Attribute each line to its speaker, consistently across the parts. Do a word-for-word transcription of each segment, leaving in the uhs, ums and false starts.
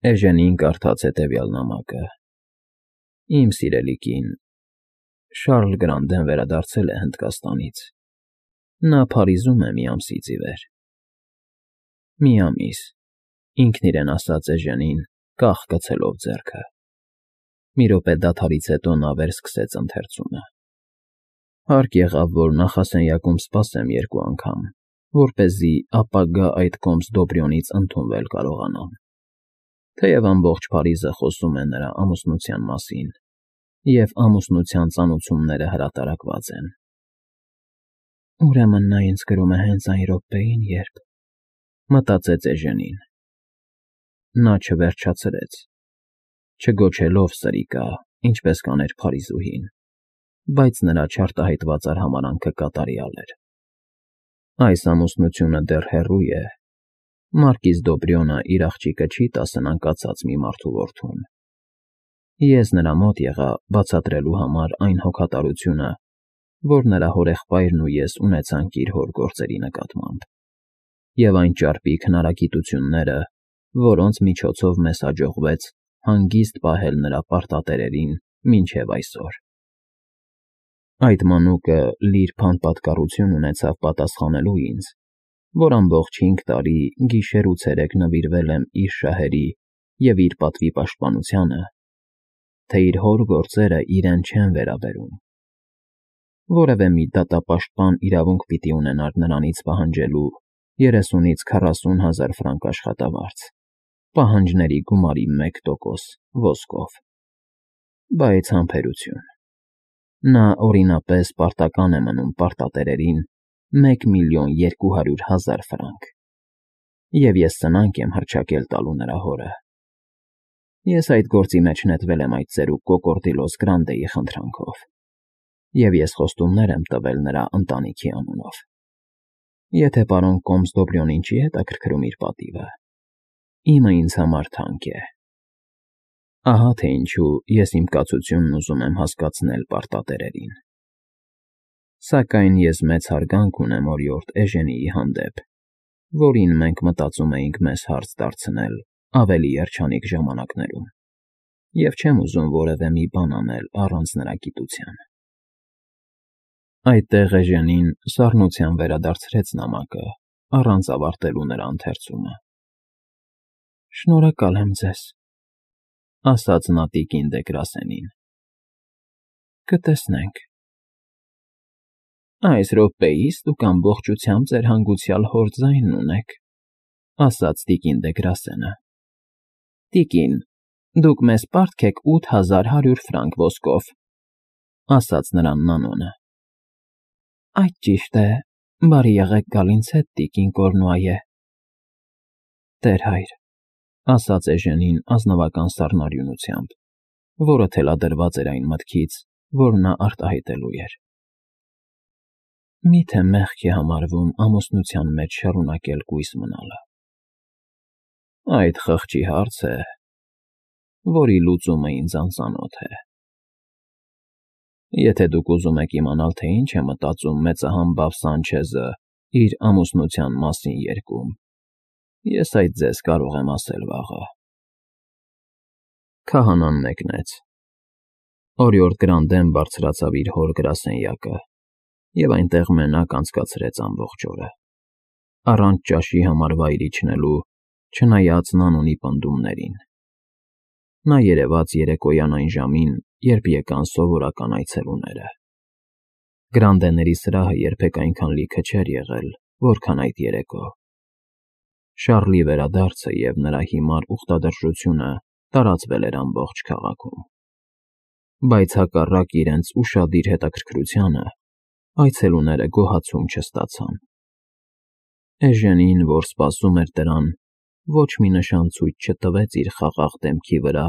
Speaker 1: Էժենին կարդաց հետևյալ նամակը. Իմ սիրելի կին, Շարլ Գրանդեն վերադարձել է Հնդկաստանից. նա Փարիզում է մի ամսից ի վեր։ Մի ամիս, ինքն իրեն ասաց Էժենին, կախ գցելով ձեռքը։ Մի րոպե դադարից հետո նա վերսկսեց ընթերցումը։ Հարկ եղավ, որ նախասենյակում սպասեմ երկու անգամ, որպեսզի ապագա այդ կոմս Դոբրյոնից ընդունվել կարողանամ, թեև ամբողջ Փարիզը խոսում է նրա ամուսնության մասին, և ամուսնության ծանոթությունները հրատարակված են։ Ուրեմն նա ինձ գրում է հենց այն րոպեին, երբ… մտածեց Էժենին։ Նա չվերջացրեց, չգոչելով սրիկա, ինչպես կաներ Փարիզուհին, բայց նրա չարտահայտված արհամարհանքը կատարյալ էր։ Այս ամուսնությունը դեռ հեռու է, Մարկիզ Դոբրյոնը իր աղջիկը չի տա սնանկացած մի մարդու որդուն։ Ես նրա մոտ եղա բացատրելու համար այն հոգատարությունը, որ նրա հորեղբայրն ու ես ունեցանք իր հոր գործերի նկատմամբ, և այն ճարպիկ հնարագիտությունները, որոնց միջոցով մեզ հաջողվեց հանգիստ պահել նրա պարտատերերին մինչև այսօր։ Այդ մանուկը լիրբ անպատկառություն ունեցավ պատասխանելու ինձ, որ ամբողջ հինգ տարի գիշեր ու ցերեկ նվիրվել եմ իր շահերի և իր պատվի պաշտպանությանը, թե իր հոր գործերը իրեն չեն վերաբերում։ Որևէ մի դատապաշտպան իրավունք պիտի ունենար նրանից պահանջելու երեսունից քառասուն հազար ֆրանկ աշխատավարձ, պահանջների գումարի մեկ տոկոս ոսկով։ Բայց համբերություն։ Նա օրինապես պարտական է մնում պարտատերերին մեկ միլիոն երկու հարյուր հազար ֆրանկ, և ես սնանկ եմ հռչակել տալու նրա հորը։ Ես այդ գործի մեջ նետվել եմ այդ ծերուկ Կոկորդիլոս Գրանդեի խնդրանքով, և ես խոստումներ եմ տվել նրա ընտանիքի անունով։ Եթե պարոն կոմս Դոբրյոնին չի հետաքրքրում իր պատիվը, իմը ինձ համար թանկ է։ Ահա թե ինչու ես իմ կացությունն ուզում եմ հասկացնել պարտատերերին։ Սակայն ես մեծ հարգանք ունեմ օրիորդ Էժենիի հանդեպ, որին մենք մտածում էինք մեզ հարց դարձնել ավելի երջանիկ ժամանակներում, և չեմ ուզում որևէ մի բան անել առանց նրա գիտության։ Այդտեղ Էժենին սառնությամբ վերադարձրեց նամակը, առանց ավարտելու նրա ընթերցումը։ Շնորհակալ եմ ձեզ, ասաց նա տիկին դե Գրասենին։ Կտեսնենք։ Այս րոպեիս դուք ամբողջությամբ ձեր հանգուցյալ հոր ձայնն ունեք, ասաց տիկին դե Գրասենը։ Տիկին, դուք մեզ պարտք եք ութ հազար հարյուր ֆրանկ ոսկով, ասաց նրան Նանոնը։ Այդ ճիշտ է, բարի եղեք գալ ինձ հետ, տիկին Կորնուայե։ Տեր հայր, ասաց Էժենին ազնվական սառնարյունությամբ, որը թելադրված էր այն մտքից, որ նա արտահայտելու էր։ Մի՞թե մեղք է համարվում ամուսնության մեջ շարունակել կույս մնալը։ Այդ խղճի հարց է, որի լուծումը ինձ անծանոթ է։ Եթե դուք ուզում եք իմանալ, թե ինչ է մտածում մեծահամբավ Սանչեզը իր ամուսնության մասին երգում, ես այդ ձեզ կարող եմ ասել վաղը։ Քահանան մեկնեց։ Օրիորդ Գրանդեն բարձրացավ իր հոր գրասենյակը և այնտեղ մենակ անցկացրեց ամբողջ օրը, առանց ճաշի համար վայր իջնելու, չնայած Նանոնի պնդումներին։ Նա երևաց երեկոյան այն ժամին, երբ եկան սովորական այցելուները։ Գրանդեների սրահը երբեք այնքան լիքը չէր եղել, որքան այդ երեկո։ Շարլի վերադարձը և նրա հիմար ուխտադրժությունը տարածվել էր ամբողջ քաղաքում։ Բայց հակառակ իրենց ուշադիր հետաքրքրությանը, այցելուները գոհացում չստացան։ Էժենին, որ սպասում էր դրան, ոչ մի նշան ցույց չտվեց իր խաղաղ դեմքի վրա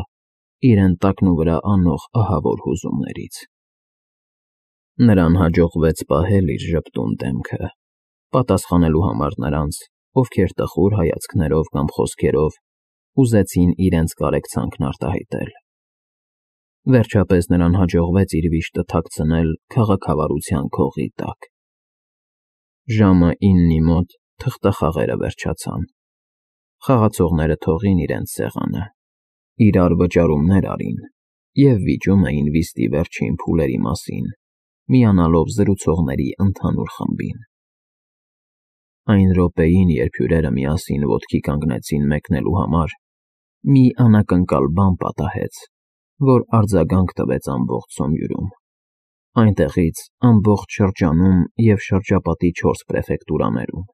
Speaker 1: իրեն տակնուվրա անող ահավոր հուզումներից։ Նրան հաջողվեց պահել իր ժպտուն դեմքը, պատասխանելու համար նրանց, ովքեր տխուր հայացքներով կամ խոսքերով ուզեցին իրենց կարեկցանքն արտահայտել։ Վերջապես նրան հաջողվեց իր վիշտը թաքցնել քաղաքավարության քողի տակ։ Ժամը իննի մոտ թղթախաղերը վերջացան։ Խաղացողները թողին իրենց սեղանը իրար վճարումներ արին և վիճում էին վիստի վերջին փուլերի մասին, միանալով զրուցողների ընդհանուր խմբին։ Այն րոպեին, երբ հյուրերը միասին ոտքի կանգնեցին մեկնելու համար, մի անակնկալ բան պատահեց, որ արձագանք տվեց ամբողջ Սոմյուրում, այնտեղից ամբողջ շրջանում և շրջապատի չորս պրեֆեկտուրաներում։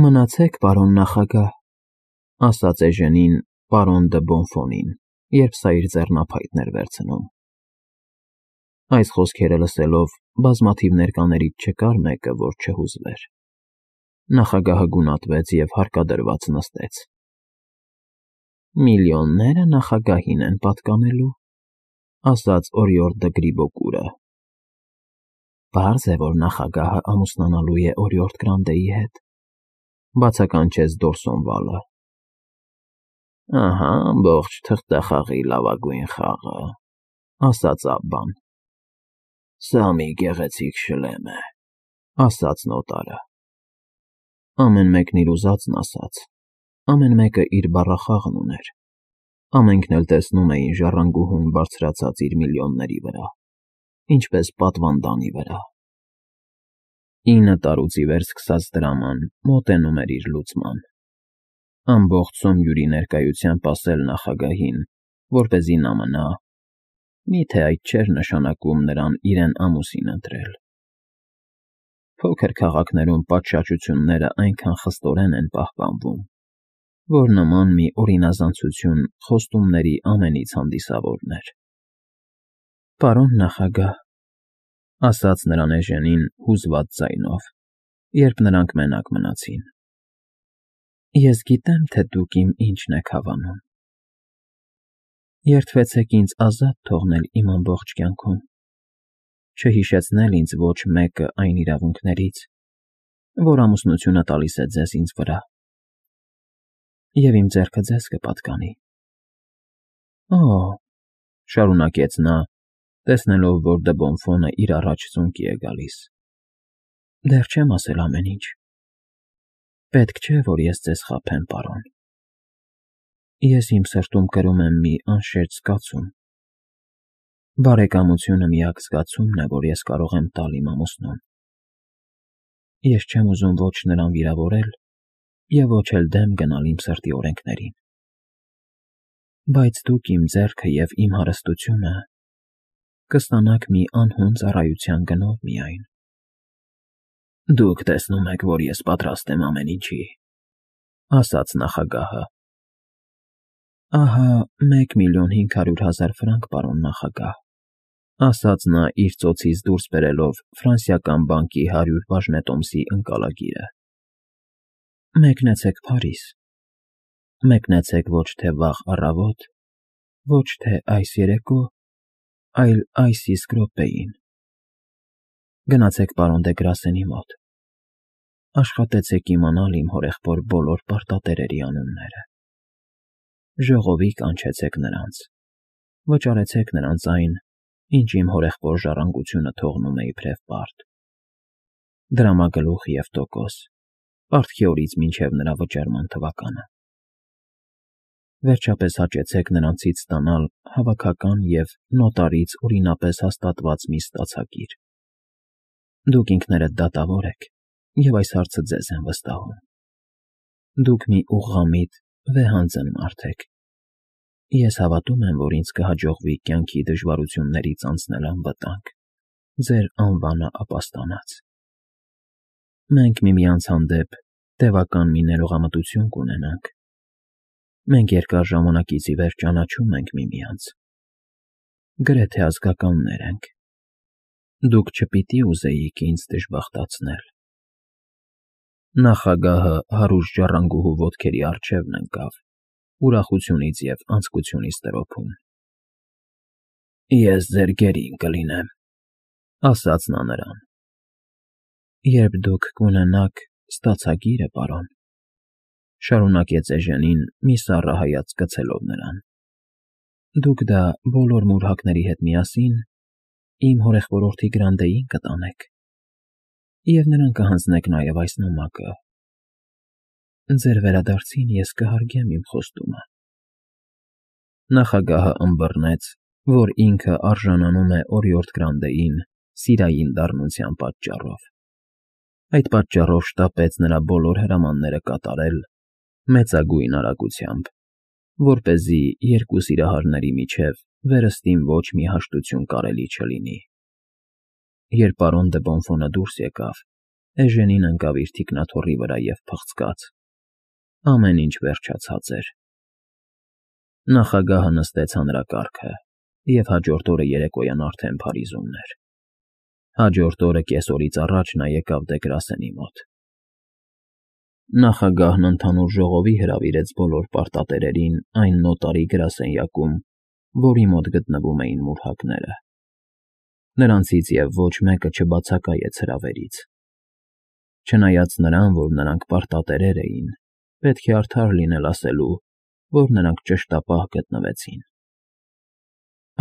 Speaker 1: «Մնացեք, պարոն նախագահ», ասաց Էժենին պարոն դը Բոնֆոնին, երբ սա իր ձեռնափայտն էր վերցնում։ Այս խոսքերը լսելով, բազմաթիվ ներկաներից չկար մեկը, որ չհուզվեր։ Նախագահը գունատվեց և հարկադրված նստեց։ «Միլիոնները նախագահին են պատկանելու», ասաց Օրիորդ դը Գրիբոկուրը։ «Պարզ է, որ նախագահը ամուսնանալու է Օրիորդ Գրանդեի հետ», բացականչեց Դորսոնվալը։ «Ահա ամբողջ թղթախաղի լավագույն խաղը», ասաց Աբբան։ «Սա մի գեղեցիկ շլեմ է», ասաց նոտարը։ Ամեն մեկն իր ուզածն ասաց, ամեն մեկը իր բառախաղն ուներ, ամենքն էլ տեսնում էին ժառանգուհուն բարձրացած իր միլիոնների վրա, ինչպես պատվանդանի վրա։ Ինը տարուց ի վեր սկսած դրաման մոտենում էր իր լուծման։ Ամբողջ Սոմյուրի ներկայությամբ ասել նախագահին, որպեսզի նա մնա, միթե այդ չէր նշանակում նրան իրեն ամուսին ընտրել։ Փոքր քաղաքներում պատշաճությունները այնքան խստորեն են պահպանվում, որ նման մի օրինազանցություն խոստումների ամենից հանդիսավորն էր։ «Պարոն նախագահ», ասաց նրան Էժենին հուզված ձայնով, երբ նրանք մենակ մնացին, «ես գիտեմ, թե դուք իմ ինչն եք հավանում։ Երդվեցեք ինձ ազատ թողնել իմ ամբողջ կյանքում, չհիշեցնել ինձ ոչ մեկը այն իրավունքներից, որ ամուսնությունը տալիս է ձեզ ինձ վրա, և իմ ձեռքը ձեզ կպատկանի»։ «Օ՜», շարունակեց նա, տեսնելով, որ դը Բոնֆոնը իր առաջ ծունկի է գալիս, «դեռ չեմ ասել ամեն ինչ։ Պետք չէ, որ ես ձեզ խաբեմ, պարոն։ Ես իմ սրտում կրում եմ մի անշերտ զգացում։ Բարեկամությունը միակ զգացումն է, որ ես կարող եմ տալ իմ ամուսնուն։ Ես չեմ ուզում ոչ նրան վիրավորել և ոչ էլ դեմ գնալ իմ սրտի օրենքներին։ Բայց դուք իմ ձեռքը և իմ հարստությունը կստանաք մի անհուն ծառայության գնով միայն»։ «Դուք տեսնում եք, որ ես պատրաստ եմ ամեն ինչի», ասաց նախագահը։ «Ահա մեկ միլիոն հինգ հարյուր հազար ֆրանկ, պարոն նախագահ», ասաց նա իր ծոցից դուրս բերելով Ֆրանսիական բանկի հարյուր բաժնետոմսի ընկալագիրը։ «Մեկնեցեք Փարիզ։ Մեկնեցեք ոչ թե վաղ առավոտ, ոչ թե այս երեկո, այլ այս իսկ րոպեին։ Գնացեք պարոն դե Գրասենի մոտ։ Աշխատեցեք իմանալ իմ հորեղբոր բոլոր պարտատերերի անունները։ Ժողովի կանչեցեք նրանց, վճարեցեք նրանց այն, ինչ իմ հորեղբոր ժառանգությունը թողնում է իբրև պարտ. դրամագլուխ և տոկոս, պարտքի օրից մինչև նրա վճարման թվականը։ Վերջապես հաճեցեք նրանցից ստանալ հավաքական և նոտարից օրինապես հաստատված մի ստացագիր։ Դուք ինքներդ դատավոր եք, և այս հարցը ձեզ եմ վստահում։ Դուք մի ուղղամիտ, վեհանձն մարդ եք։ Ես հավատում եմ, որ ինձ կհաջողվի կյանքի դժվարություններից անցնել անվտանգ, ձեր անվանը ապաստանած։ Մենք միմյանց հանդեպ տևական մի ներողամտություն կունենանք։ Մենք երկար ժամանակից ի վեր ճանաչում ենք միմյանց։ Գրեթե ազգականներ ենք։ Դուք չպիտի ուզեիք ինձ դժբախտացնել»։ Նախագահը հարուստ ժառանգուհու ոտքերի առջևն ընկավ, ուրախությունից և անձկությունից տրոփում։ «Ես ձեր գերին կլինեմ», ասաց նա նրան։ «Երբ դուք կունենաք ստացագիրը, պարոն», շարունակեց Էժենին մի սառը հայացք գցելով նրան, «դուք դա բոլոր մուրհակների հետ միասին իմ հորեղբորորդի Գրանդեին կտանեք, և նրան կհանձնեք նաև այս նամակը։ Ձեր վերադարձին ես կհարգեմ իմ խոստումը։ Նախագահը ըմբռնեց, որ ինքը արժանանում է օրիորդ Գրանդեին սիրային դառնության պատճառով։ Այդ պատճառով շտապեց նրա բոլոր հրամանները կատարել մեծագույն արագությամբ, որպեսզի երկու սիրահարների միջև վերստին ոչ մի հաշտություն կարելի չլինի։ Երբ պարոն դը Բոնֆոնը դուրս եկավ, Էժենին ընկավ իր թիկնաթոռի վրա և փղցկաց. ամեն ինչ վերջացած էր։ Նախագահը նստեց հանրակարգը, և հաջորդ օրը երեկոյան արդեն Փարիզումն էր։ Հաջորդ օրը կեսօրից առաջ նա եկավ դե Գրասենի մոտ։ Նախագահն ընդհանուր ժողովի հրավիրեց բոլոր պարտատերերին այն նոտարի գրասենյակում, որի մոտ գտնվում էին մուրհակները։ Նրանցից և ոչ մեկը չբացակայեց հրավերից։ Չնայած նրան, որ նրանք պարտատերեր էին, պետք է արդար լինել ասելու, որ նրանք ճշտապահ գտնվեցին։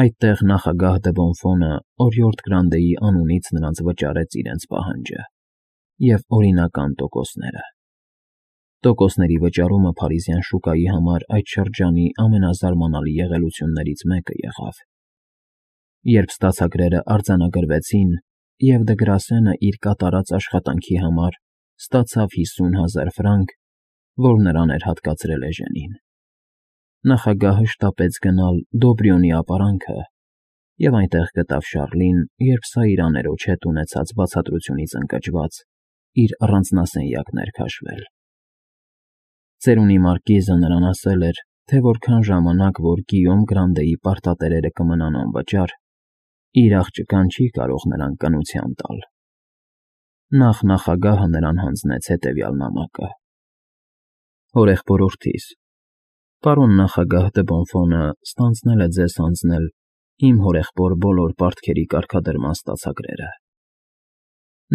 Speaker 1: Այդտեղ նախագահ դը Բոնֆոնը օրիորդ Գրանդեի անունից նրանց վճարեց իրենց պահանջը և օրինական տոկոսները։ Տոկոսների վճարումը փարիզյան շուկայի համար այդ շրջանի ամենազարմանալի եղելություններից մեկը եղավ։ Երբ ստացագրերը արձանագրվեցին, և դը Գրասենը իր կատարած աշխատանքի համար ստացավ հիսուն հազար ֆրանկ, որ նրան էր հատկացրել Էժենին, նախագահը շտապեց գնալ Դոբրյոնի ապարանքը և այնտեղ գտավ Շառլին, երբ սա իր աներոջ հետ ունեցած բացատրությունից ընկճված իր առանձնասենյակն էր քաշվել։ Ծերունի մարկիզը նրան ասել էր, թե որքան ժամանակ որ Գիյոմ Գրանդեի պարտատերերը կմնան անվճար, իր աղջկան չի կարող նրան կնության տալ։ Նախ նախագահը նրան հանձնեց հետևյալ նամակը. Հորեղբորորդիս, պարոն նախագահ դը Բոնֆոնը ստանձնել է ձեզ հանձնել իմ հորեղբոր բոլոր պարտքերի կարգադրման ստացագրերը։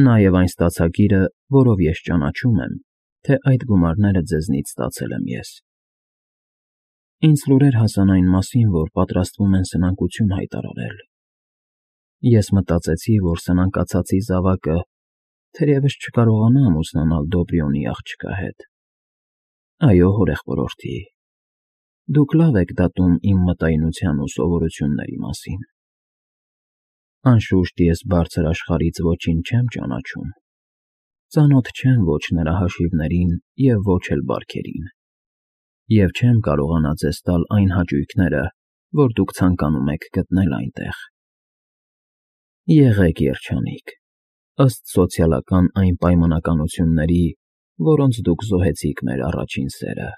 Speaker 1: Նա և այն ստացագիրը, որով ես ճանաչում եմ, թե այդ գումարները ձեզնից ստացել եմ ես։ Ինձ լուրեր հասան այն մասին, որ պատրաստվում են սնանկություն հայտարարել։ Ես մտածեցի, որ սնանկացածի զավակը թերևս չկարողանա ամուսնանալ Դոբրյոնի աղջկա հետ։ Այո, հորեղբորորդի, դուք լավ եք դատում իմ մտայնության ու սովորությունների մասին։ Անշուշտ ես բարձր աշխարհից ոչինչ չեմ ճանաչում, ծանոթ չեմ ոչ նրա հաշիվներին և ոչ էլ բարքերին, և չեմ կարողանա ձեզ տալ այն հաճույքները, որ դուք ցանկանում եք գտնել այնտեղ։ Եղեք երջանիկ, ըստ սոցիալական այն պայմանականությունների, որոնց դուք զոհեցիք մեր առաջին սերը։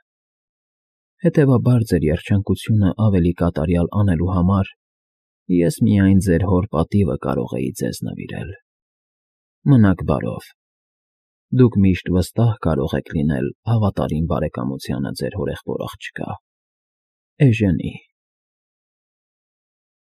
Speaker 1: Հետևաբար ձեր երջանկությունը ավելի կատարյալ անելու համար ես միայն ձեր հոր պատիվը կարող էի ձեզ նվիրել։ Մնաք բարով։ Դուք միշտ վստահ կարող եք լինել հավատարիմ բարեկամությանը ձեր հորեղբոր աղջկա, Էժենի։